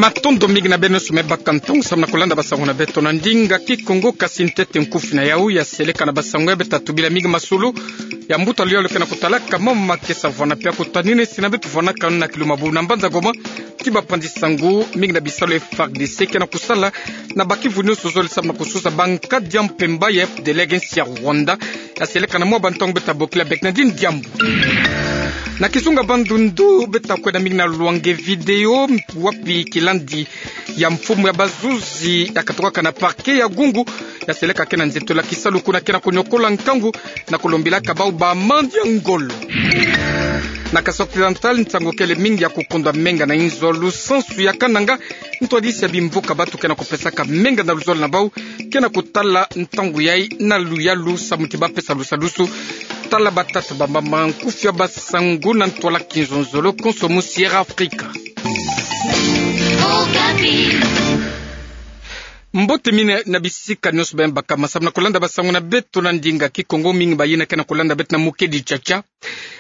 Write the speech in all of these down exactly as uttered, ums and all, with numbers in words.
Matondo mingi na beno nyonso me baka ntangu samu na kulanda basango na beto na ndinga Kikongo. Kasi ntete nkufi na yau ya seleka na basango ya, beta tubila mingi masolo ya mbuta luyalo ke na kutalaka mama makesa vwanda mpe ya kutanina nsi na beto vwanakanu na Kilumbu na mbanza Goma, ti bapanzi-sango mingi na bisalu ya F A R D C ke na kusala na bakivu nyonso zole samu na kusosa bankadi ya mpemba ya F D L R nsi ya Rwanda. Ya seleka na mwa bantangu, beta bokila Bernardine Diambu. Na kizunga Bandundu, beta kwenda mingi na lwanga video wapi kilandi ya mfumu ya bazuzi ya katokaka na parquet ya Gungu ya seleka ke na nzitula kisalu kuna ke na kunyokola nkangu na kulombilaka bau ba amende ya ngolo. Na Kasaï Occidental, nsangu kele mingi ya kukondwa menga na inzo lusansu ya Kananga, ntwadisi ya bimvuka batu ke na kupesaka menga na luzolo na bau ke na kutala ntangu yai na luyalu samu ti bapesa lusalusu. Tala batata, bamama, nkufi ya basango na ntwala kinzonzolo konso mu Sierra Africa. Mbote mingi na bisika nyonso beno baka masamu na kulanda basango na beto na ndinga Kikongo, mingi bayina ke na kulanda beto na Mukedi Chacha.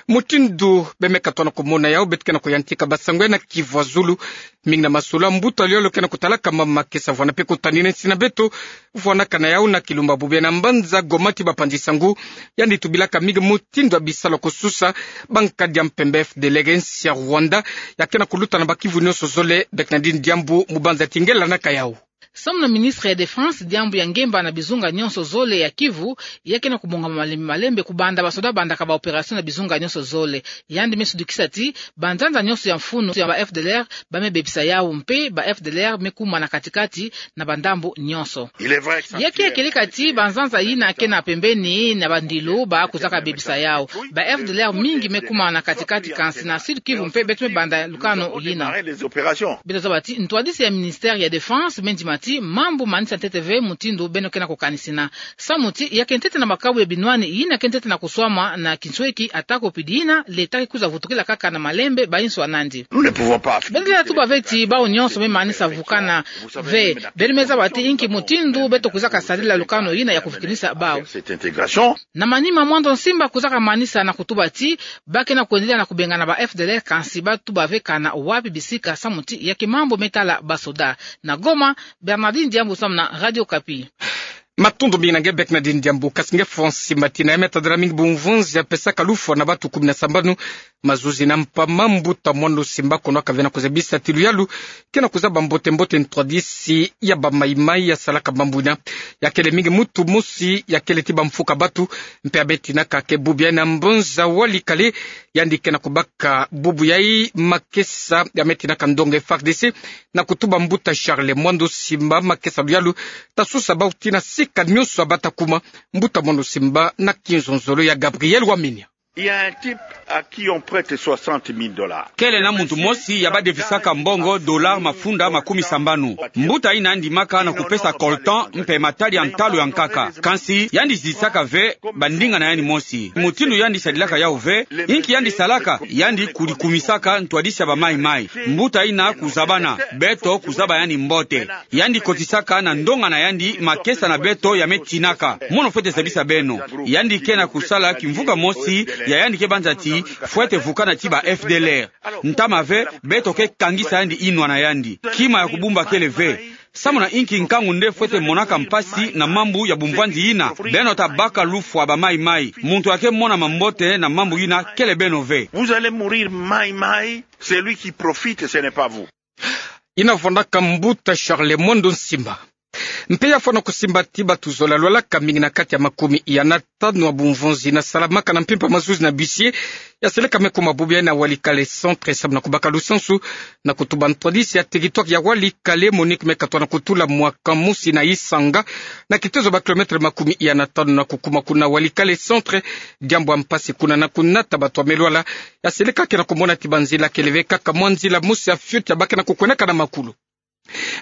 Mutindu beno me katuka na kumona yau, beto ke na kuyantika basango ya na kivwazulu. Mingi na masolo ya mbuta luyalo ke na kutalaka mama makesa vwanda mpe kutanina nsi na beto vwanakana yau na Kilumbu ya mbanza Goma ti bapanzi-sango. Yandi tubilaka mingi mutindu ya bisalu ya kusosa bankadi ya mpemba F D L R nsi ya Rwanda ya ke na kuluta na bakivu nyonso zole. Bernardine Diambu, mu banza ti nge landaka yau. Samu na ministre ya Défense, diambu ya ngemba na bizunga nyonso zole ya Kivu ya ke na kubongama malembe malembe, kubanda basoda bandaka ba opération na bizunga nyonso zole. Yandi me sudukisa ti banzanza nyonso ya mfunu ya ba F D L R ba me bebisa yau, mpe ba F D L R me kuma na katikati na bandambu nyonso. Ya ke kieleka ti banzanza yina ke na pembeni na bandilu ba kwizaka bebisa yau. Ba F D L R mingi me kuma na katikati, kansi na Sud Kivu mpe beto me banda lukanu yina. Beto zaba ti ntwadisi ya ministère ya Défense me ndima ti mambu manisa ntete ve mutindu beno ke na kukanisina. Samu ti ya ke ntete na makabu ya binwani yina ke ntete na kuswama na kinsweki, atako pidi yina leta ke kwiza vutukila kaka na malembe ba inso ya nandi. Beno lenda tuba ve ti bau nyonso me manisa vukana ve. Beno me zaba ti inki mutindu beto kwizaka sarila lukanu yina ya kuvukinisa bau. Na manima Mwando Nsimba kwizaka manisa na kutuba ti ba ke na kwendelea na kubengana ba F D L R, kansi ba tuba ve kana wapi bisika, samu ti ya ke mambu me tala basoda. Na Goma, Bernardine Diambu samu na Radio Okapi. Matondo mingi na nge Bernardine Diambu. Kasi nge Francis Mbatina, ya me tadila mingi bumvonzi ya pesaka lufwa na batu kumi na sambanu, mazuzi na mpamba, mbuta Mwando Nsimba, kono aka ve na kuzabisa ti luyalu ke na kuzaba mbote mbote ntwadisi ya ba Maï-Maï ya salaka mambu yina. Ya kele mingi muntu mosi ya kele ti bamfuka batu, mpe ya me tinaka ke bubu yai na mbanza Walikale. Yandi ke na kubaka bubu yai makesa ya me tinaka ndonga F A R D C na kutuba mbuta Charles Mwando Nsimba makesa luyalu ta sosa bau tii na sika nyonso ya bata kuma. Mbuta Mwando Nsimba na kinzonzolo ya Gabriel Wamenia. Il y a un type à qui on prête soixante mille dollars. Kele na muntu mosi ya ba devisaka mbongo dollar mafunda makumi sambanu. Mbuta yina yandi ndimaka na kupesa coltan mpe matadi ya ntalu ya nkaka. Kansi yandi zisaka ve bandinga na yandi mosi mutindu yandi sadilaka yau ve. Inki yandi salaka? Yandi kudikumisaka ntwadisi ya ba Maï-Maï. Mbuta yina kuzabana, beto kuzaba yandi mbote. Yandi kotisaka na ndonga na yandi makesa na beto ya me tinaka. Mono fwete zabisa beno. Yandi ke na kusala kimvuka mosi ya yandi ke banza ti fwete vukana ti ba F D L R. Ntama ve, beto ke kangisa yandi inwa na yandi. Kima ya kubumba kele ve. Samu na inki nkangu nde fwete monaka mpasi na mambu ya bumvwanzi yina? Beno ta baka lufwa ba Maï-Maï. Muntu ya ke mona mambote na mambu yina kele beno ve. Vous allez mourir Maï-Maï, celui qui profite, ce n'est pas vous. Yina vwandaka mbuta Charles Mwando Nsimba. Mpe ya fwana kusimba ti batu zola lwalaka mingi na kati ya makumi ya na tanu ya bumvonzi yina salamaka na mpimpa mazuzi na bisi ya seleka me kuma bubu yai na Walikale centre samu na kubaka lusansu na kutuba ntwadisi ya territoire ya Walikale. Monique me katwa na kutula mwaka mosi na Isanga, na kitezo ba kilomètre makumi ya na tanu na kukuma kuna Walikale centre. Diambu ya mpasi kuna na kunata batu ya me lwala. Ya seleka ke na kumona ti banzila kele ve kaka mwa nzila mosi ya fioti ya ba ke na kukwendaka na makulu.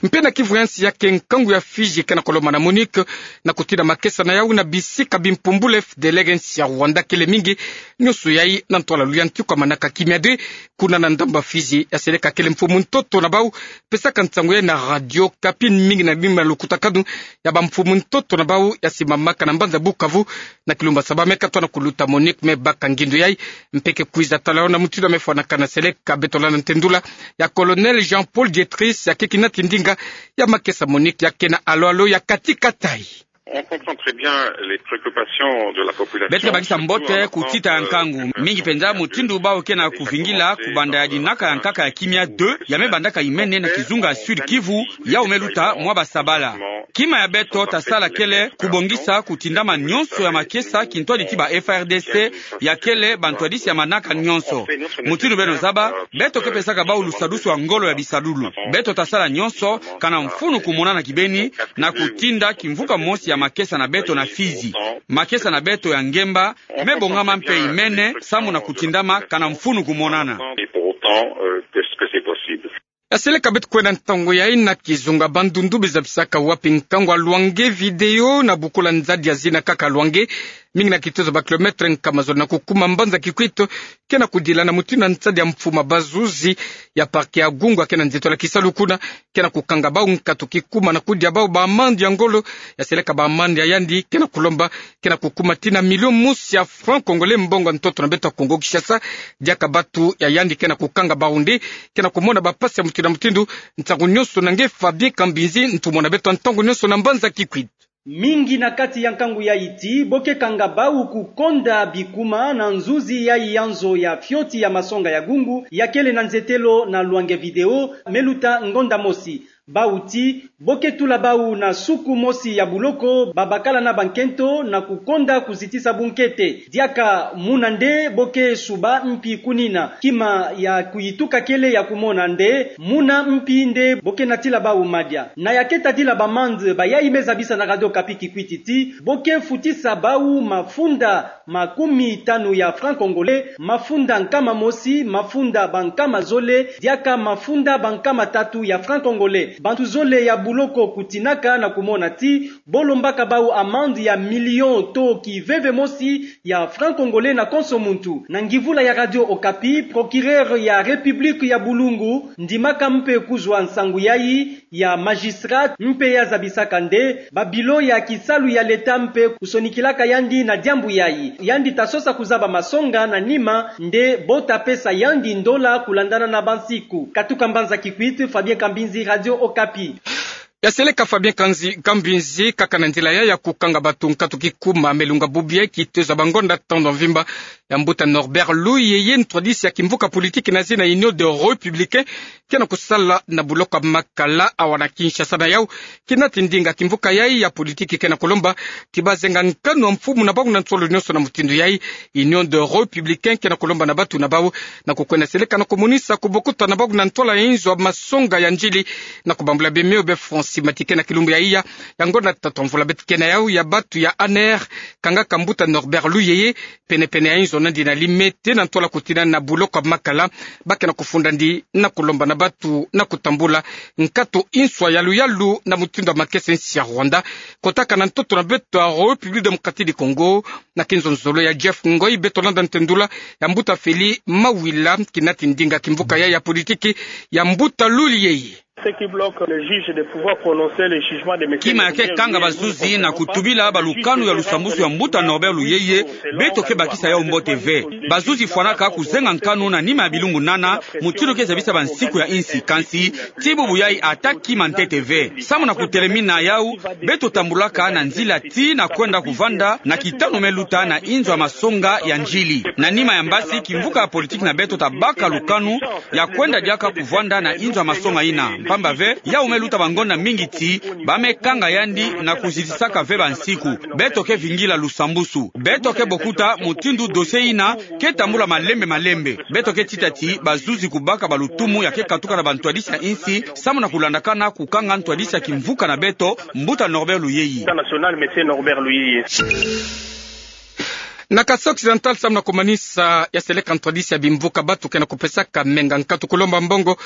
Mpe na kivu ya nsi ya ke, nkangu ya Fidji ke na kolomba na MONUC na kutinda makesa na yau na bisika bimpumbulu F D L R ya nsi ya Rwanda kele mingi. Nionso yai na ntwala luyantika manaka kimia de, kuna na ndambu ya Fidji. Ya seleka kele mfumu ntoto na bau pesaka nsangu yai na Radio Okapi, mingi na bima lukutakanu ya bamfumu ntoto na bau ya simamaka na mbanza Bukavu, na kilumbu ya saba me katwa na kuluta MONUC me baka ngindu yai. Mpe ke kwiza tala yo na mutindu ya me fwanakana, seleka beto landa ntendula ya Colonel Jean-Paul Dietrich, ya ke kinati ndinga ya makesa MONUC ya ke na alo-alo ya kati-kati. On comprend très bien les préoccupations de la population. Beto ke bakisa mbote kutita ya nkangu, mingi penza mutindu bau ke na kuvingila kubanda ya dinaka ya nkaka ya kimia deux ya me bandaka imene na kizunga ya Sud-Kivu, yau me luta mwa basabala. Kima ya beto ta sala kele kubongisa kutindama nionso ya makesa kintwadi ti ba F A R D C, ya kele bantwadisi ya manaka nionso. Mutindu beno zaba, beto ke pesaka bau lusadusu ya ngolo ya bisadulu. Beto ta sala nionso kana mfunu kumonana kibeni na kutinda kimvuka mosi ya makesa na beto na Fidji. Makesa na beto ya ngemba me bongama mpe imene samu na kutindama kana mfunu kumonana. Et pour autant, euh, que ce que c'est possible. Ya seleka beto kwenda ntangu yai na kizunga Bandundu, beza bisaka wapi nkangu ya Luange Video na bukula nzadi ya zina kaka Luange, mingi na kitozo ba kilomètre nkama zole na kukuma mbanza Kikwit, ke na kudila na mutindu ya nsadi ya mfuma. Bazuzi ya parquet ya Gungwa ke na nzitola kisalu kuna, ke na kukanga bau nkatu kikuma na kudia bau ba amande ya ngolo. Ya seleka ba amande ya yandi ke na kulomba ke na kukuma tii na million mosi ya francs congolais, mbongo ya ntoto na beto ya Congo Kinshasa, diaka batu ya yandi ke na kukanga bau nde ke na kumona bapasi ya mutindu na mutindu. Ntangu nionso na nge Fabien Kambinzi, ntumwa na beto ya ntangu nionso na mbanza Kikwit. Mingi na kati ya nkangu yai ti bo ke kanga bau kukonda bikuma na nzuzi yai ya nzo ya fioti ya masonga ya Gungu, ya kele na nzetelo na Luange Video, me luta ngonda mosi. Bau ti bo ke tula bau na suku mosi ya buloko, babakala na bankento na kukonda kuzitisa bunkete. Diaka muna nde bo ke suba mpi kunina. Kima ya kuyituka kele ya kumona nde muna mpi nde bo ke natila bau madia. Na ya ke tadila ba amande, bayai me zabisa na Radio Okapi Kikwit ti bo ke futisa bau mafunda makumi tanu ya francs congolais, mafunda nkama mosi, mafunda bankama zole, diaka mafunda bankama tatu ya francs congolais. Bantu zole ya buloko kutinaka na kumona ti bo lombaka bau amande ya million to kiveve mosi ya francs congolais na konso muntu. Na ngivula ya Radio Okapi, procureur ya République ya Bulungu ndimaka mpe kuzwa nsangu yai ya magistrat, mpe ya zabisaka nde ba bureau ya kisalu ya leta mpe kusonikilaka yandi na diambu yai. Yandi ta sosa kuzaba masonga na nima nde bo ta pesa yandi ndola kulandana na bansiku. Katuka mbanza Kikwit, Fabien Kambinzi, Radio Okapi. Ya seleka Fabien Kanzi-, Kambinzi, kaka na nzila yai ya kukanga batu nkatu kikuma, me lunga bubu yai kitezo ya bangonda tando mvimba ya mbuta Norbert Luyeye, ntwadisi ya kimvuka politiki na zina Union des Républicains, ke na kusala na buloko ya Makala awa na Kinshasa. Na yau, kinati ndinga kimvuka yai ya politiki ke na kulomba ti bazenga nkanu ya mfumu na bau na nsolo nionso. Na mutindu yai, Union des Républicains ke na kulomba na batu na bau na kukwenda seleka na kumonisa kubokuta na bau na ntwala ya inzo ya masonga ya ndjili, na kubambula bemeo be Francis Matike na kilumbu ya iya ya ngonda tatu ya mvula beto ke na yau ya batu ya A N R kangaka mbuta Norbert Luyeye pene-pene ya inzo nandi na Limete, na ntwala kutinda na buloko ya Makala. Ba ke na kufunda ndi na kulomba na batu na kutambula nkatu inswa yalu-yalu na mutindu ya makesa ya nsi ya Rwanda kotaka na ntoto na beto ya République Démocratique du Congo. Na kinzonzolo ya Jeff Ngoi, beto landa ntendula ya mbuta Feli Mawila, kinati ndinga kimvuka yai ya politiki ya mbuta Luyeye. Ce qui bloque le juge de pouvoir prononcer le jugement de monsieur Kima ya ke kanga bazuzi na kutubila balukanu ya lusambusu ya mbuta Norbert Luyeye, beto ke bakisa yau mbote ve. Bazuzi fwanaka kuzenga nkanu na nima ya bilumbu nana, mutindu ke zabisa bansiku ya insi, kansi ti bubu yai ata kima ntete ve. Samu na kutelemina yau, beto tambulaka na nzila ti na kwenda kuvanda na kitanu me luta na inzo ya masonga ya ndjili. Na nima ya mbasi, kimvuka ya politiki na beto ta baka lukanu ya kwenda diaka kuvanda na inzo ya masonga ina. Mpamba ve, yau me luta bangonda mingi ti ba me kanga yandi na kuzitisaka ve bansiku. Beto ke vingila lusambusu. Beto ke bokuta mutindu dossier ina ke tambula malembe-malembe. Beto ke tita ti bazuzi kubaka balutumu ya ke katuka na bantwadisi ya insi, samu na kulandakana kukanga ntwadisi ya kimvuka na beto, mbuta Norbert Luyeye. National, monsieur Norbert Luyeye. Na Kasaï Occidental, samu na kumanisa, ya seleka ntwadisi ya bimvuka batu ke na kupesaka menga nkatu kulomba mbongo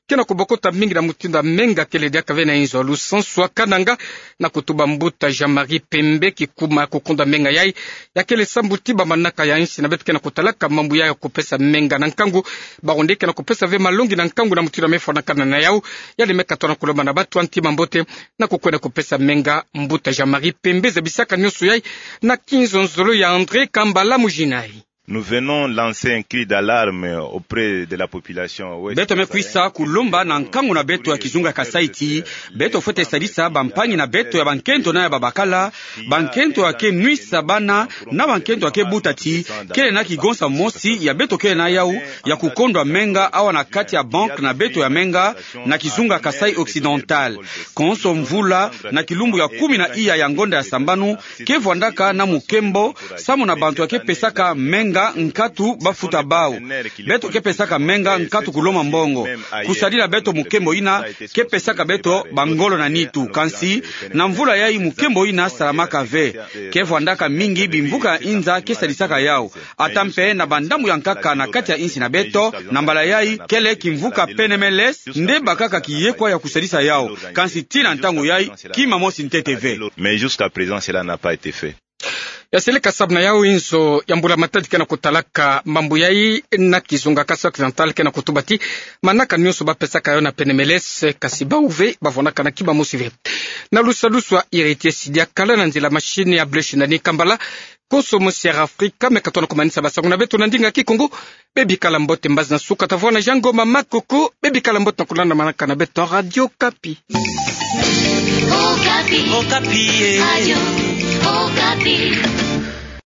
ke na kobokota mingi na mutindu ya menga kele diaka ve na inzo. Lusansu ya Kananga, na kutuba mbuta Jean-Marie Pembe, kikuma ya kukondwa menga yai, ya kele sambuti ba manaka ya insi na beto ke na kutalaka mambu yai ya kupesa menga na nkangu. Bawu nde ke na kupesa ve malongi na nkangu na mutindu ya mefwanakana na yau. Yandi me katoa na kulomba na bato ya ntima mbote na kukwenda kupesa menga. Mbuta Jean-Marie Pembe zabisaka nionso yai na kinzonzolo ya André Kambala Mujinai. Nous venons lancer un cri d'alarme auprès de la population ouest-kasai. Beto me kwisa kulomba na nkangu na beto ya kizunga Kasai ti beto fwete sadisa bampangi na beto ya bankento na ya babakala, bankento ya ke nwisa bana, na bankento ya ke buta ti kele na kigonsa mosi ya beto kele na yau, ya kukondwa menga awa na kati ya banque na beto ya menga na kizunga Kasai Occidental. Konso mvula, na kilumbu ya kumi na iya ya ngonda ya sambanu, ke vwandaka na mukembo, samu na bantu ya ke pesaka menga nkatu bafuta bau. Beto ke pesaka menga nkatu kuloma mbongo. Kusadila beto mukembo ina, ke pesaka beto bangolo na nitu. Kansi, na mvula yai mukembo ina salamaka ve. Ke vwandaka mingi bimvuka ya inza ke sadisaka yau. Ata mpe na bandambu ya nkaka na kati ya insi na beto, na mbala yai, kele kimvuka Penemeles, nde bakaka kiyekwa ya kusadisa yau. Kansi tii na ntangu yai, kima mosi ntete ve. Mais jusqu'à présent, cela n'a pas été fait. Ya seleka samu na yau inzo ya mbula matadi ke na kutalaka mambu yai na kizunga Kasai Occidental ke na kutuba ti manaka nionso bapesaka yau na Penemeles, kasi bau ve bavwanaka na kima mosi ve. Na lusalusu ya Héritier Sidiakala na nzila machine ya Blaise Nani Kambala, konso mosi ya Afrika me katoa na kumanisa basango na beto na ndinga Kikongo. Bebikala mbote, mbazi na suka tavwanda Jean Ngoma Makoko. Bebikala mbote na kulanda manaka na beto Radio Okapi. Okapi. Okapi, eh. Radio Okapi.